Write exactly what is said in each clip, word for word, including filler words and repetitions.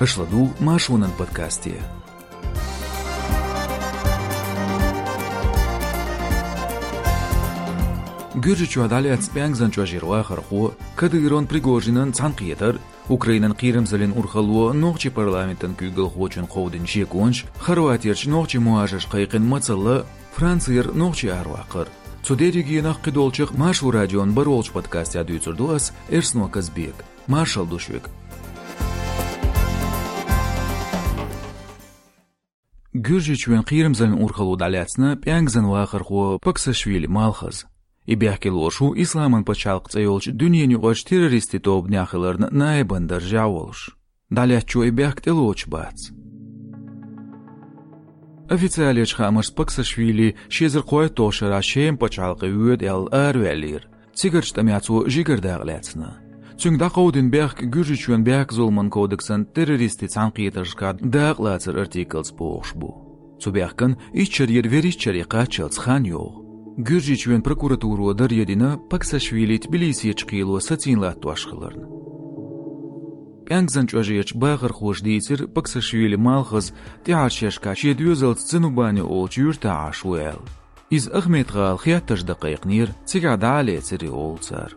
Аша ладугӀу Маршонан подкасте. Гуьржийчохь дӀалаьцна пӀензан чӀожера вахархо, Кадыровн, Пригожинан цхьаьнакхетар, Украинан кхерамзаллин урхалло нохчийн парламентан куьйгалхочунна кховдийна шеконаш, Хорватерчу нохчийн мухӀажарш кхайкхина мацалла, Францера нохчий араваккхар. Цу дерригенах, кхидолчех Маршо радион барволчу подкастехь дуьйцур ду ас, Эрсно Казбека. Маршалла ду шуьга. Гуьржийчоьнан кхерамзаллин урхалло дӀалаьцна пӀензан вахархо Паксашвили Малхаза. И бехке лоруш ву исламан пачхьалкх цӀе йолчу дуьненан юкъарчу террористийн тобанехь хиларна наибан даржехь волуш. ДӀалаьцначо и бехк тӀелоцуш бац. Официалечу хаамашца, Паксашвили ши эзар кхойтталгӀачу шарахь Шеман пачхьалкхе воьду аьлла араваьллера. Цигарчу тӀамехь цо жигара дакъа лаьцна. Цуьнга дӀакховдийна бехк Гуьржийчоьнан бехкзуламан кодексана террористийн цхьаьнакхетаршкахь дакъалацар артиклца бохуш бу. Цу бехкан итт шарера вуьрхӀитта шаре кхаччалц хан йогӀу. Гуьржийчоьнан прокуратуро даре дина Паксашвили Тбилисерчу кхело сацийна латтош хиларна. ПӀензан чӀожерчу бахархоша дийцира Паксашвили Малхаза тӀаьхьарчу шерашкахь шен доьзалца Цанубани олучу юьртахь Ӏаш ву аьлла. Иза Ахмед-гӀала хеттарш дан кхайкхинера, цигахь дӀа а лецира и, олу цара.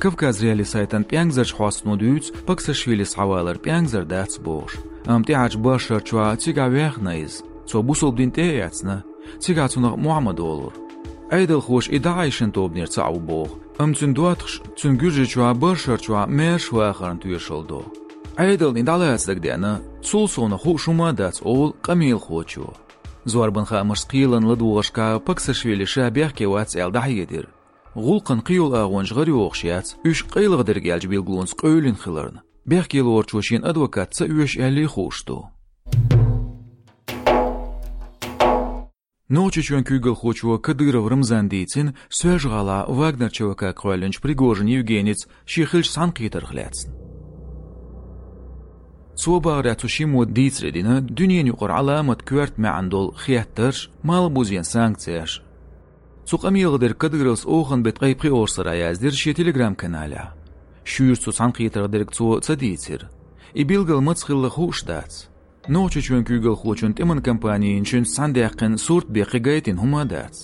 Кавказ.Реалии сайтан пӀензарчу хьостано дуьйцу Паксашвилис схьавалар пӀензар дац бохуш, амма тӀаьхьарчу бархӀ шарчохь цигахь ваьхна иза. Цо бусалба дин тӀе а эцна, цигахь цунах Мухьаммад олура. Ӏедалхоша и ДАӀИШан тобанера цхьаъ ву боху, амма цуьнан доттагӀаша цуьнан Гуьржийчохь бархӀ шарчохь маьрша вахарна тоьшалла до. Ӏедална и дӀалаца дагадеана, цул совнаха хууш хӀума а дац, олу къамелахочо. Зорбан хаамашца, кхелан ладогӀаршкахь Паксашвили ша бехке вац аьлла дӀахьедира. ГӀуллакхан кхийолу агӀонаш гӀарайогӀуш яц, уьш къайлаха дерг аьллачу билгалонца къевлина хиларна. Бехке лоручо шена адвокат ца оьшу аьллий хууш ду. Нохчийчоьнан куьйгалхочо Кадыров Рамзана дийцина Соьлжа-ГӀалахь Вагнер ЧВК-кх кхоьллинчу Пригожин Евгеница шен хиллачу цхьаьнакхетарх лаьцна. Цо бахарехь, цу шиммо дийцаре дина дуьненан юкъара Ӏаламат коьрта маьӀна долу хеттарш, малхбузен санкцеш. Цу къамелах дерг Кадыровс оханан беттан ткъе пхоьалгӀачу сарахь яздира шен Telegram-каналехь. Шуьйра цу цхьаьнакхетарх дерг цо ца дийцира. И билгал маца хилла хууш дац. Нохчийчоьнан куьйгалхочун тӀеман компанина цуьнца цхьаьна даьккхина сурт бен кхин гайтина хӀума а дац.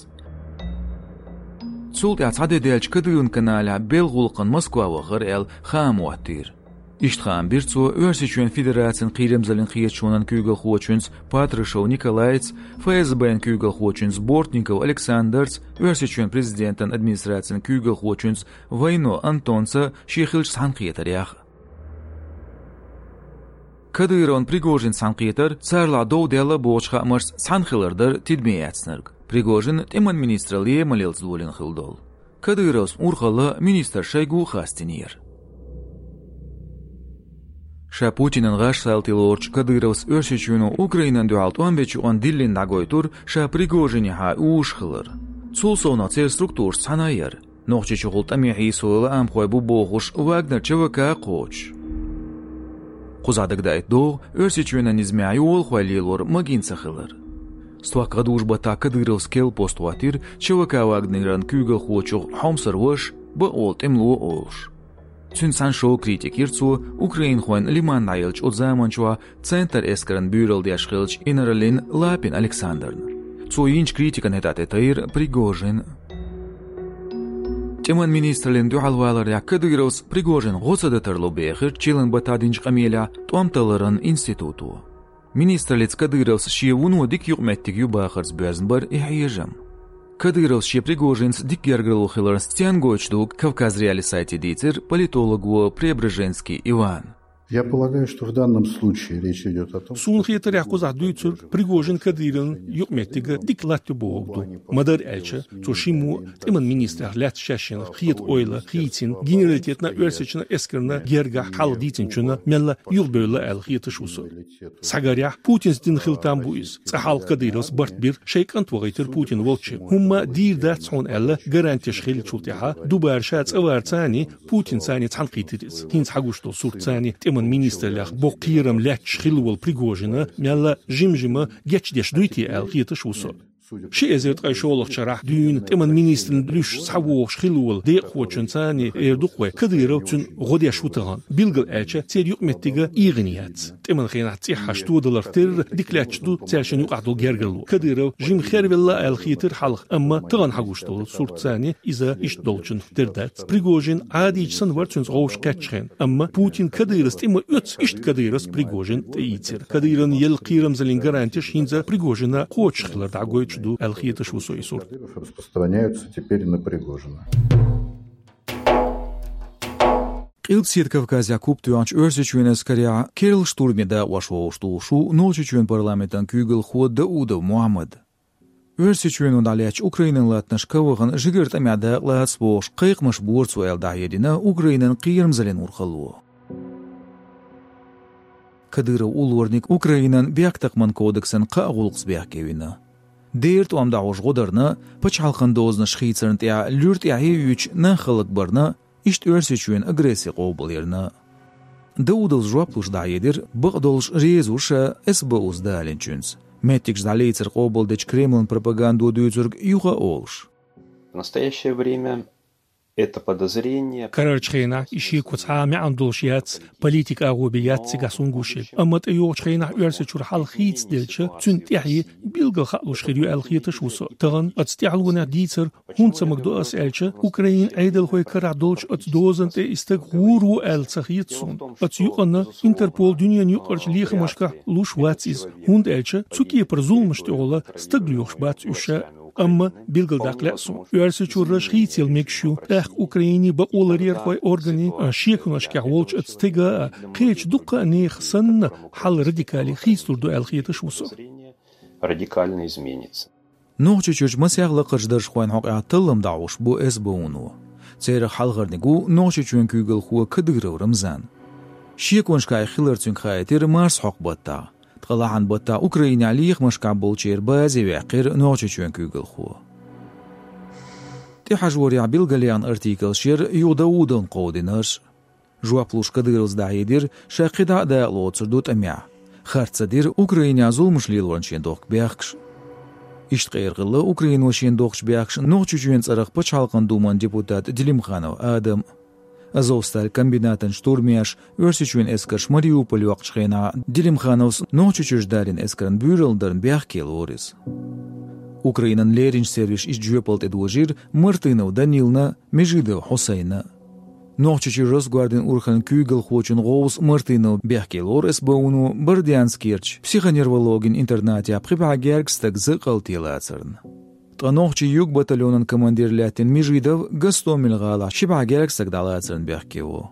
Цул тӀаьхьа цхьа де даьлча Кадыровн каналехь белхан гӀуллакхана Москва вахара аьлла хаам хӀоттийра. Иштта хаам бира цо Оьрсийчоьнан Федерацин кхерамзаллин хеташонан куьйгалхочуьнца Патрушев Николайца, ФСБ-н куьйгалхочуьнца Бортников Александрца, Оьрсийчоьнан президентан администрацин куьйгалхочуьнца Войно Антонца шен хиллачу цхьаьнакхетарех. Кадыровн, Пригожин цхьаьнакхетар царалахь дов даьлла бохучу хаамашца цхьаьна хилар дара тидаме эцнарг, Пригожин тӀеман министралле маллалц долийна хилла долу. Кадыровс урхалла министрша шайгу а хастийнера. Ша Путинан гӀаш салтий лоручу Кадыровс Оьрсийчоьно Украинана дуьхьал тӀом бечу юкъана диллина дӀагойтура ша Пригожинехьа уьш хилар. Цул совнаха церан структурашца цхьаьна яра. Нохчийчухула тӀаме хьийсо лаамхой бу бохуш Вагнер ЧВК а кхочуш. Кхузахь дагадаийта догӀу Оьрсийчоьнан низамехь йолахой лелор магийна ца хилар. Стохка гӀадужу баттахь Кадыровс керла пост хӀоттийра ЧВК Вагнеран куьйгалхочух Хьомсара ваша, бакъ волу тӀемало олуш. Цуьнца цхьаьна шога критика йира цо украинхойн Лиман дӀаеллачу оцу заманчохь центр эскаран буьйралла деш хиллачу инараллин Лапин Александрна. Цо йинчу критикан хӀетахь тӀетайра Пригожин. ТӀеман министраллина дуьхьалваларехь Кадыровс Пригожин гӀо ца дан тарло бехира чиллан баттахь динчу къамелехь тӀом талларан институто. Министраллица Кадыровс шен вуно дика юкъаметтиг ю бахарца боьзна бара и хьежам. Кадыровс шен Пригожинца дика гергарло хиларна стенна гойтуш ду Кавказ.Реалии сайте дийцира политолого Преображенский Ивана. Я полагаю, что в данном случае речь идёт о том, Суна хетарехь, кхузахь дуьйцург Пригожин-Кадыровн юкъаметтиг дика латтайо бохург ду. Ма-дарра аьлча, цу шиммо тӀеман министрех лаьцна шаьшшинна хета ойла хийцина, генералитетна, оьрсийчоьнан эскарна гергахь хьал дийцинчунна мелла юхабевлла аьлла хеташ ву со. Схьагарехь, Путинца дина хила там бу иза. Цкъа хьалха Кадыровс барт бира, шайн кӀант вахийтира Путин волчу. ХӀумма дийр дац хьуна аьлла гарантеш хиллачул тӀаьхьа, дубара ша цӀа варцани, Путинцани цхьаьнакхийтира иза. ХӀинца хьагуш долу сурт цани тӀеман министраллех боккха кхерам лаьтташ хилла волу Пригожина мелла жима-жима гечдеш дуй те аьлла хеташ ву со. Ши эзар ткъе шоллагӀчу шарахь дуьйна тӀеман министран луьш схьавогӀуш хилла волу декъахочунна царна эр ду-кх вай, Кадыров цуьнан гӀо деш ву тахана. Билгал аьлча, церан юкъаметтиг эгӀана яц. ТӀеман хенахь цӀеххьаш тодаларх терра дика лаьтташ ду цаьршинна юкъахь долу гергарло. Кадыров жима хервелла аьлла хетира хьалха, амма тахана хьагуш долу сурт царна иза иштта долчунна тера дац. Пригожин Ӏадийча санна вара цуьнца гӀовш кхеттачу хенна, амма Путин Кадыровс тӀе ма оьцу, иштта Кадыровс Пригожин тӀеийцира. Кадыровна елла кхерамзаллин гарантеш хӀинца Пригожина кхочуш хилар дӀагойтуш ду аьлла хеташ ву со и сурт. Распространяются теперь на Пригожина. Къилбаседа Кавказехь куп тоьхначу Оьрсийчоьнан эскарехь керла штурме дакъош вовшахтухуш ву Нохчийчоьнан парламентан куьйгалхо Даудов Мухьаммад. Оьрсийчоьно дӀалаьцначу Украинан латтанашка вахана жигара тӀамехь дакъалаца бохуш, кхайкхамаш бора цо аьлла дӀахьедина Украинан кхерамзаллин урхалло. Кадыров уллорниг Украинан бехктакхаман кодексан кхаа гӀуллакхца бехке вина. Дера тӀом дӀахьош гӀо дарна, пачхьалкхан дозанаш хийцарна тӀехь луьра тӀаьхье а юьйцуш нах хӀаллакбарна, иштта Оьрсийчоьнан агресси къобалъярна. Даудовс жоп луш дӀахьедира, бакъдолуш реза ву ша СБУ-с далийначуьнца, меттигаш дӀалецар къобалдечу Кремлан пропагандо дуьйцург юха а олуш. В настоящее время это подозрение... Карарчу хенахь и шеко цхьа а маьӀна долуш яц, политика агӀо бен яц цигахь суна гуш ерг. Амма тӀейогӀучу хенахь Оьрсийчуьра хьал хийцаделча, цуьнан тӀаьхье билггал хаалуш хир ю аьлла хеташ ву со. Тахана оцу тӀаьхьалонехь дийцар хӀунда ца магадо ас аьлча, Украинан Ӏедалхойн карахь долчу оцу дозанна тӀе и стаг гӀур ву аьлла ца хета суна. Оцу юкъана Интерпол дуьненан юкъарчу лехамашкахь луш вац иза, хӀунда аьлча цу кепара зуламаш тӀехула стаг лоьхуш бац уьш ша. Амма билггал даккха лаьа суна, Оьрсийчуьрчу хийцаялла мегаш ю, тӀаккха Украинан бакъоларъярхойн органийн шеконашкахь волчу оцу стеган а, кхечу дуккха а нехан санна, хьал радикале хийцалур ду аьлла хеташ ву со. Радикально изменится. Нохчийчуьрчу масех лакхарчу даржхойн хьокъехь таллам дӀахьош бу СБУ-но. Церах хьалхарниг ву Нохчийчоьнан куьйгалхо Кадыров Рамзан. Шеконашкахь и хилар цуьнга хаийтира марсхьокху баттахь. Ткъа лахьан баттахь Украинехь лехамашкахь болчеран базе ваьккхира Нохчийчоьнан куьйгалхо. ТӀехьажорехь билгалъяьхна артиклаш яра юха Даудовна кховдинарш. Жоп луш Кадыровс дӀахьедира, ша кхидӀа а дакъалоцур ду тӀамехь. Харц ца дира Украинехь зуламаш лелорна шен дохку бехкаш. Иштта къера хилла Украино шена дохкуш бехкаш Нохчийчоьнан цӀарах Пачхьалкхан Думан депутат Делимханов Адам. Азовсталь комбинатан штурмеш, Оьрсийчоьнан эскарш Мариуполь йоккхучу хенахь Делимхановс Нохчийчуьрчу далийна эскарна буьйралла дарна бехке лору иза. Украинан леринчу сервисаша иза жоьпалла тӀедожийра Мартынов Данилна, Межидов Хьусайна. Нохчийчуьра Росгвардин урхаллин куьйгалхочун гӀовса Мартынов бехке лору СБУ-но Бордянскерчу психоневрологийн интернатехь пхи бӀе гергга стаг закъалте лацарна. Ткъа нохчийн юг батальонан командир лаьттина Межидов Гостомель гӀалахь ши бӀе гергга стаг дӀалацарна бехке ву.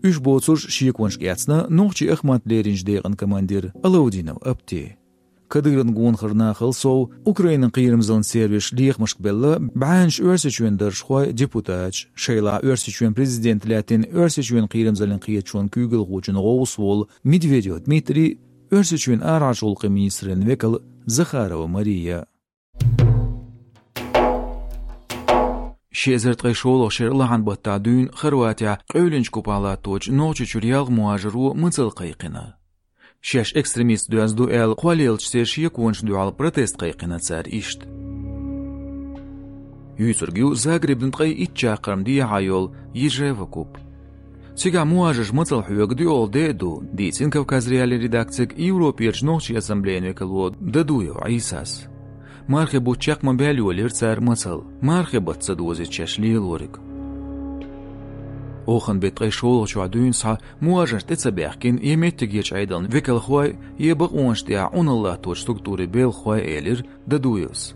Уьш боцурш шеконашка эцна нохчийн Ахмат леринчу декъан командир Алаудинов Апти. Кадыровн гонахарнахал сов, Украинан кхерамзаллин сервисаша лехамашка белла бӀаьннаш Оьрсийчоьнан даржхой, депутаташ, шайлахь Оьрсийчоьнан президент лаьттина Оьрсийчоьнан кхерамзаллин кхеташонан куьйгалхочун гӀовса волу Медведев Дмитрий, Оьрсийчоьнан арахьарчу гӀуллакхийн министраллин векал Захарова Мария. Ши эзар ткъе шолгӀачу шеран лахьан баттахь дуьйна Хорватехь къевлинчу купахь латточу Нохчийчуьра ялх мухӀажаро мацалла кхайкхина. Шаьш экстремисташ доьзна ду аьлла кхоллаелчу церан шеконашна дуьхьал протест кхайкхина цара иштта. Юьйцург ю Загребна ткъе итт чаккхарма дехьа йолу Ежева куп. Цигахь мухӀажарш мацалла хьоьгу доьалгӀа де а ду, дийцина Кавказ.Реалиин редакцига Европерчу нохчийн ассамблейн векало Дадуев Ӏийсас. Мархи бутт чекх ма-баьлла йолийра цара мацалла, мархи бутт ца дозийта шаьш лелориг. Оханан беттан ткъе шолгӀачохь дуьйна схьа мухӀажарш тӀе ца баьхкина я меттигерчу Ӏедалан векалхой, я бакъонаш тӀехь Ӏуналла латточу структурийн белхахой, элира Дадуевс.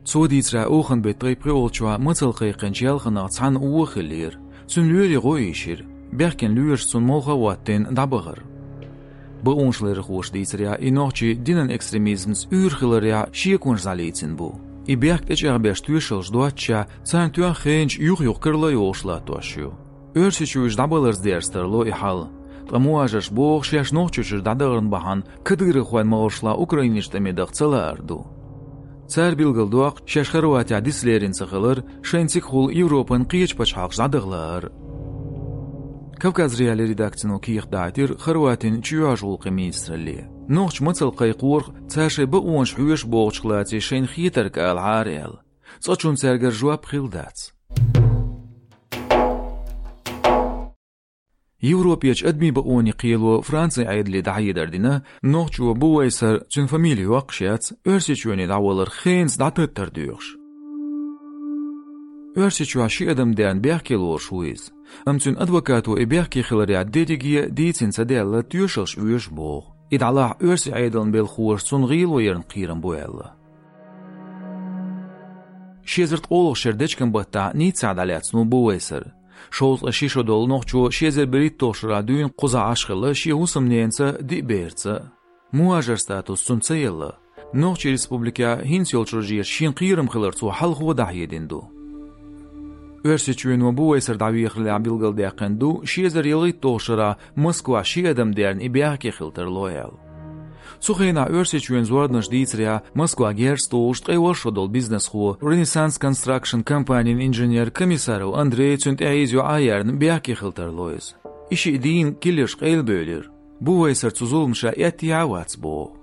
Цо дийцарехь, оханан беттан ткъе пхоьалгӀачохь мацалла кхайкхинчу ялханах цхьанна вон хиллера. Цуьнан лоьрийн гӀо ийшира. Баьхкина лоьраша цунна молха а хӀоттийна дӀабахара. Бакъонашларъярхоша дийцарехь, и нохчий динан экстремизмца уьйр хиларехь шеконаш дӀалийцина бу. И бехк тӀечӀагӀбеш тоьшаллаш доццушехь, царна тоьхна хенаш юх-юха карла йолуш латтош ю. Оьрсийчоь уьш дӀабаларца дерза тарло и хьал. Ткъа мухӀажарш боху, шаьш Нохчийчуьра дӀадахаран бахьана кадыровхойн малхашлахь Украинерчу тӀаме даха ца лаар ду. Цара билгалдоккху, шаьш Хорватехь дицлерина ца хилар шайна цигахула Европан кхечу пачхьалкхашка дӀадаха лаар. Кавказ.Реалиин редакцино кехат дахьийтира Хорватин чоьхьарчу гӀуллакхийн министралле. Нохчий мацалла кхайкхорах, цара шайн бакъонаш хьоьшу бохучух лаьцна шайна хетарг ала Ӏара аьлла. Цкъачунна цаьргара жоп хилла дац. Европерчу адамийн бакъонийн кхело Францин Ӏедале дӀахьедар дина, нохчо Бувайсар, цуьнан фамили йоккхуш яц, Оьрсийчоьне дӀавалар хенца дӀататтар доьхуш. Оьрсийчохь ши адам дерна бехке лоруш ву иза. Амма цуьнан адвокато и бехке хиларехь дерриге а дийцина ца даьлла, тоьшаллаш оьшу боху. И дӀалахь оьрсийн Ӏедалан белхахоша цунна гӀело ярна кхерам бу аьлла. Ши эзар ткъолгӀачу шеран дечкен-баттахь Ниццехь дӀалаьцна ву Бувайсар. Шовзткъе ши шо долу нохчо ши эзар берхӀитталгӀачу шарахь дуьйна кхузахь Ӏаш хилла шен хӀусамненаца, диъ берца. Мухажар статус цунна ца елла. Нохчийн республикехь хӀинца йолчу рожехь шена кхерам хилар цо хьалхо дӀахьедина ду. Оьрсийчоьно Бувайсар дӀавехарехь билгалдаьккхина ду, ши эзар ялхитталгӀачу шарахь Москвахь ши адам дерна и бехке хила тарло аьлла. Цу хенахь Оьрсийчоьнан зорбанаш дийцарехь, Москва герз тухуш ткъе ворхӀ шо долу бизнесхо, Renaissance Construction компанин инженер Комиссаров Андрей, цуьнан тӀаьхье иза юьхьа а яьрна, бехке хила тарло иза. И шиъ дийна киллерш къайлабевлира. Бувайсар цу зуламаша эттехьа а вац боху.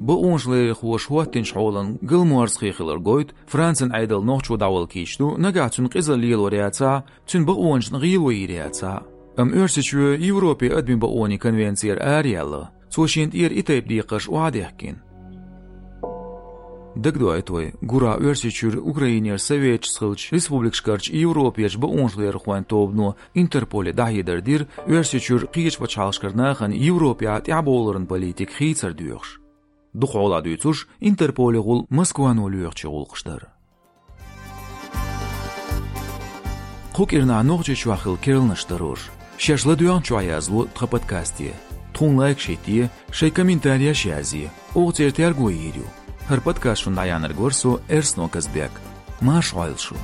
Бакъонашларъярхоша хӀоттийначу хьолан галморзахе хилар гойту, Францин Ӏедал нохчо дӀавала кийча ду, нагахь цуьнан къизалла лелор яцахь а, цуьнан бакъонашна гӀело йийр яцахь а. Амма Оьрсийчоь Европин адамийн бакъонийн конвенцера араяьлла. Цо шена тӀера и тайпа декхарш охьадехкина. Дагадоуьйту вай, гурахь Оьрсийчуьра Украинера советчица хиллачу республикашкарчу Европерчу бакъонашларъярхойн тобано, Интерполе дӀахьедар дира, Оьрсийчуьра кхечу пачхьалкхашкара нахана Европехь тӀаьхьабовларан политика хийцар доьхуш. Дукха хьолахь дуьйцуш, Интерполе гӀуллакх Москвано лоьхучу гӀуллакхаш дара. Кху кӀирнахь Нохчийчохь хилла керланаш дара уьш. Шаьш ладоьгӀначохь язло тхан подкасте. Тхуна лайкаш хӀитте, шайн комментареш язъе, оха церан терго йийр ю. ХӀара подкаст шуна дӀаяьхьнарг вара со, Эрсно Казбек. Марша Ӏойла шу!